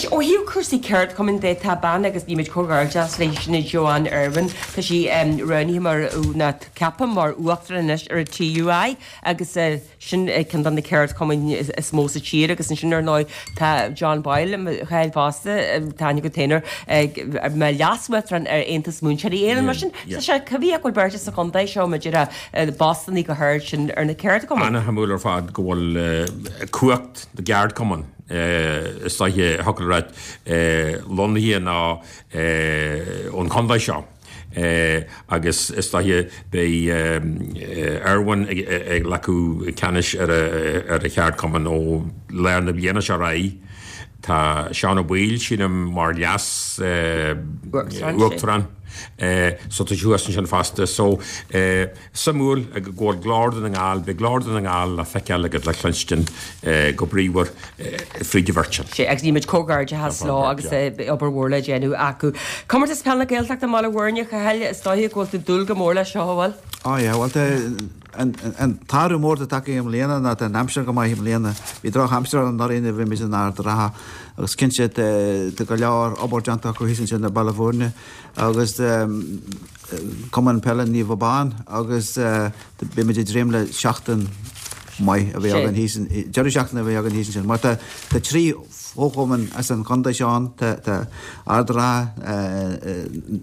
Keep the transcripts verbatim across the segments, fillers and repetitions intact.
Anois, ó thaobh cúrsaí ceardchumainn de, tá bean agus nímid comhghairdeas léi sin Joanne Irwin, tá sí roghnaithe mar ná ceaptha mar uachtarán anois ar an T U I agus sin ceann de na ceardchumainn is mó sa tír. Agus ansin ar ndóigh tá John Boyle chail fosta, tá go tainer mar leas-uachtarán ar Aontas Múinteoirí Éireann. Mar sin tá sé cibé go bhfuil beirt sa chontae seo maidir postanna go hard sin ar na ceardchumainn. An-shuimiúil ar fad go bhfuil cumhacht na gceardchumann is dóiche thugtar lonnaithe ná ón chontae seo. Agus is dóiche beidh Irwin ag glacadh ceannais ar ar a cheardchumann ó lár na bliana seo raí. Tá Seán Ó Baoill sílim mar leas uachtarán, so tá thuas sin fosta. So suimiúil go bhfuil Glór Dhún na nGall, beidh Glór Dhún na nGall le feiceáil agus le cluinstin go bríomhar fríd an bheirt sin. Sé agus nímid comhghairdeas leo agus obair mhór le déanamh acu. Comórtas Peile na Gaeltachta i mBaile Bhuirne, Chathail, is dóiche go bhfuil tú dúil go mór le seo, bhfuil? Á yeah, well an t-athrú mór atá i mbliana ná an aimsir go maith i mbliana. Bhí drochaimsir anuraidh a bhí muid in Ard Ratha agus cinnte tá go leor obair déanta acu thíos ansin i Baile Bhuirne agus Cumann Peile Naomh Abán agus beimid ag dréim le seachtain maith a bheith againn thíos, deireadh seachtaine a bheith againn thíos ansin. Mar tá trí fhochumann as an chontae seo ann, tá Ard Ratha,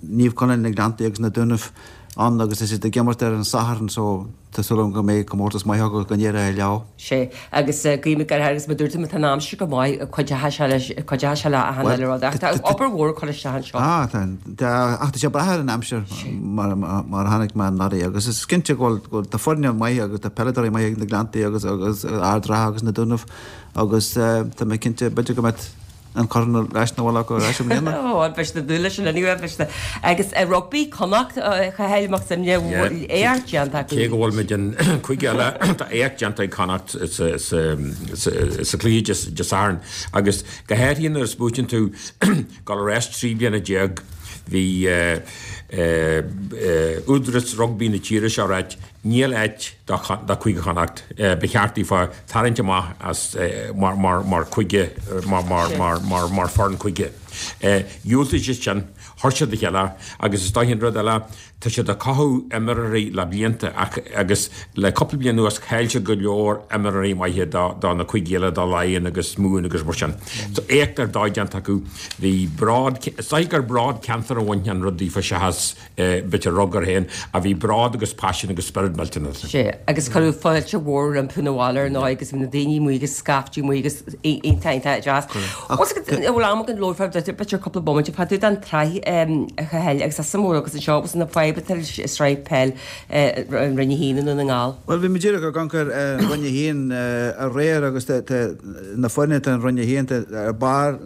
Naomh Conaill na Gleanntaí agus na Dúnaibh ann agus is iad ag imirt ar an Satharn, so tá súil agam go mbeidh comórtas maith acu, go n-éireoidh leo. Sé agus guím gar agus ma dúirt tá an aimsir go maith, cuideoidh sé leis, cuideoidh sé le achan eile rud ach tá obair mhór chun isteach anseo. Ah, tá, ach tá sé brath ar an aimsir mar mar tháinig mé anuraidh agus is cinnte go bhfuil tá foirne maith agus tá peileadóirí maith ag na Gleanntaí agus agus Ard Ratha agus na Dúnaibh agus tá mé cinnte b'fhéidir go mbeidh an corn ar ais na bhfuil acu ar ais i mbliana. Ó, beidh na dúile sin anyway, beidh na agus rugbaí Connacht, Chathail Mac Suibhne, éacht déanta acu. Cé go bhfuil muid an chuig eile, tá éacht déanta ag Connacht sa chluiche Dé Sathairn agus go háirithe nuair a smaoiníonn tú go ar ais trí bliana déag bhí údarás rugbaí na tíre seo ráit níl áit do Chúige Chonnacht, ba cheart daofa tarraingt amach as mar mar mar chúige mar mar mar mar mar foireann cúige. Dhiúltaigh siad sin, chuir siad a chéile agus is dóiche an rud eile tá siad ag cothú imreoirí le blianta ach agus le cúpla bliain anuas chaill siad go leor imreoirí maithe do do na cúigí eile, do Laighin agus Mumhan agus mar sin. So éacht ar dóigh déanta acu. Bhí bród, is dóiche gur bród ceantar a bhain an rud daofa seachas bit rug ar féin a bhí bród agus paisean agus spiorad millteanach. Sé agus cuireadh fáilte mhór rompu na bhaile ar ndóigh agus bhí na daoine amuigh agus scaifte amuigh agus iontach iontach deas. Bhfuil am againn labhairt b'fhéidir cúpla bomaite fá dtaobh den tsraith, a Chathail, agus as mór agus anseo agus na fadhb atá leis an sraith peil an Roinn a haon i nDún na nGall. Well, bhí mé díreach ag amharc ar Roinn a haon aréir agus na foirne atá in Roinn a haon ar barr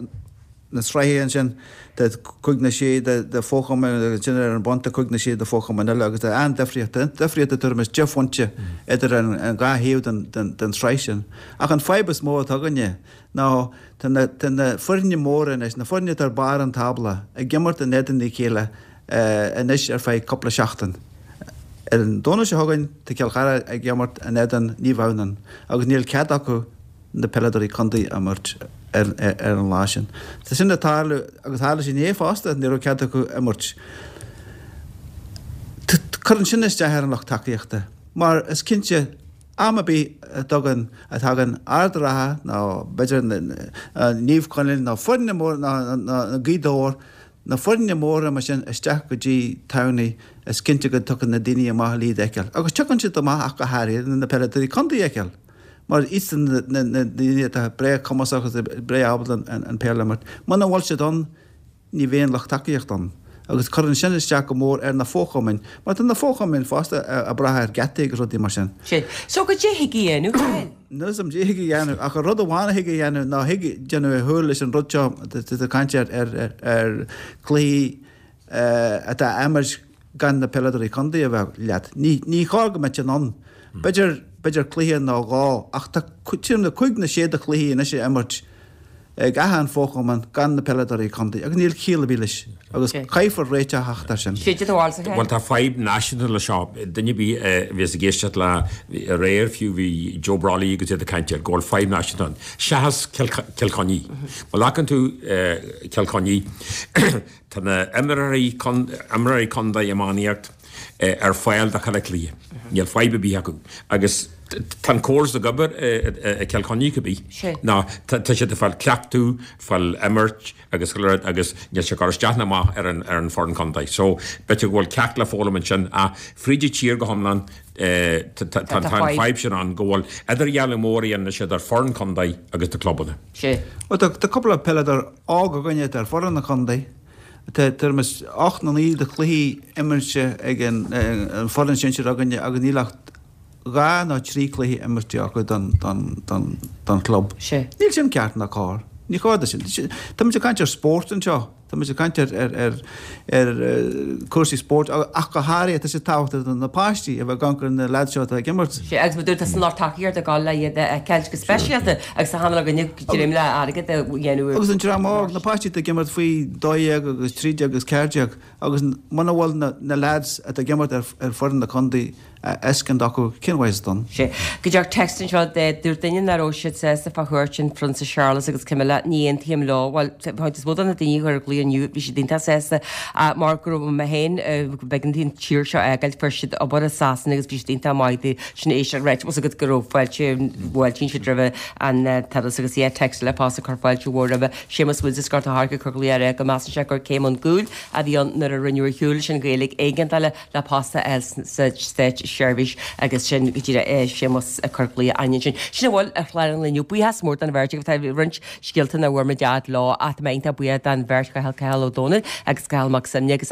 na sraithe ansin, tá cúig nó sé de fhochumainn agus ansin ar an bun tá cúig nó sé de fhochumainn eile agus tá an-difríocht, difríocht tuairim is deich phointe idir an dhá thaobh den den tsraith sin. Ach an fadhb is mó atá againne ná tá na tá na foirne móra anois, na foirne atá ar barr an tábla, ag imirt in éadan a chéile anois ar feadh cúpla seachtain. Ar an Domhnach seo chugainn tá Cill Chartha ag imirt in éadan Naomh Adhamhnáin agus níl cead acu na peileadóirí contae a imirt ar ar an lá sin. Tá sin ag tarlú agus tharla sé inné fosta, ní raibh cead acu imirt. Cuireann sin isteach ar an lucht tacaíochta mar is cinnte am ar bith a dtugann a thagann Ard Ratha nó b'fhéidir Naomh Conaill nó foirne mór nó nó Gaoth Dobhair, na foirne móra mar sin isteach go dtí Tamhnaigh, is cinnte go dtiocfaidh na daoine amach le iad a fheiceáil. Agus tiocfaidh siad amach ach go háirithe na peileadóirí contae a fheiceáil. Mar iadsan na na daoine atá breá cumasach agus breá ábalta an an peil a imirt. Muna bhfuil siad ann, ní bheidh an lucht tacaíochta ann. Agus cuireann sin isteach go mór ar na fochumainn, mar tá na fochumainn fosta ag brath ar gheataí agus rudaí mar sin. Sé. So goidé thig a dhéanamh, Chathail? Níl a fhios agam goidé thig a dhéanamh ach an rud amháin a thig a dhéanamh ná thig déanamh ar shúil leis an rud seo tá caint ar ar ar chluichí atá á imirt gan na peileadóirí contae a bheith leat. Ní ní chóir go mbeadh sin ann. B'fhéidir b'fhéidir cluiche nó dhó ach tá sílim na cúig nó sé de chluichí anois a imirt ag achan fhochumann gan na peileadóirí contae agus níl ciall ar bith leis agus caithfear réiteach a theacht air sin. Sé do bharúil sa Bhuel tá fadhb náisiúnta le seo duine ar bith a bhíos ag éisteacht le aréir fiú bhí Joe Brolly agus iad ag caint air go bhfuil fadhb náisiúnta ann. Seachas Cill Chainnigh. Má ghlacann tú Cill Chainnigh tá na imreoirí imreoirí contae iománaíocht ar fáil do chuile chluiche. Níl fadhb ar bith acu. Agus tá an córas ag obair i Cill Chainnigh cibé. Ná tá siad ag fáil cleachtadh, fáil imirt agus chuile rud agus níl sé ag cur isteach ná amach ar an ar an foireann contae. So b'fhéidir go bhfuil ceacht le foghlaim ansin ach fríd an tír go hiomlán tá an fadhb sin ann go bhfuil idirdhealú mór a dhéanann siad ar foireann contae agus do clubanna. Bhuel tá cúpla peileadóir óg againne atá ar foireann na contae. Tá tuairim is ocht nó naoi de chluichí imirte ag an foireann sinsir againne agus níl ach dhá nó trí chluiche imirte acu don don chlub. Níl sin ceart ná cóir. Ní chóir do sin. Táimid ag caint ar spórt anseo. Táimid ag caint ar ar ar cúrsaí spóirt ach go háirithe tá sé tábhachtach do na páistí a bheith ag amharc ar na leaids seo atá ag imirt. Sea, agus mar a dúirt tá san lucht tacaíochta ag dul le iad a fheiceáil go speisialta agus tá an againne dream le airgead a dhéanamh. Agus an dream óg, na páistí atá ag imirt faoi dó dhéag agus trí déag agus ceathair déag agus muna bhfuil na leaids atá ag imirt ar foireann na contae a fheiscint acu, cén mhaith dom? Sea. Go dtearc text anseo de dúirt duine nach raibh siad sásta fá chuairt an Phrionsa Séarlas agus Camilla, ní aontaím leo. Bhuel, chuid is mó de na daoine a chuir glaoch inniu, bhí siad iontach sásta mar go raibh mé féin, b'éigean dúinn an tír seo a fhágáil, fuair siad obair i Sasana agus bhí siad iontach maith dúinn sin éisteacht right was agat go raibh fáilte, bhfáiltíonn siad roimhe an turas agus yeah text eile fosta ag cur fáilte mhór roimhe Séamus Woods as Gort a' Choirce ag cur glaoch ar go measann sé gur céim chun cúil a bhí ann nuair a rinneadh ar shiúl leis an Ghaeilge éigeandála le post a fháil sa státseirbhís agus sin go díreach é Séamus ag cur glaoch againn ansin. Sin a bhfuil ar chlár an lae inniu. Buíochas mór don bheirt agaibh. Tá roinnt scéalta nach bhfuair muid fhad leo ach tá mé iontach buíoch don bheirt, Cathal Cathal Ó Dónaill agus Cathal Mac Suibhne agus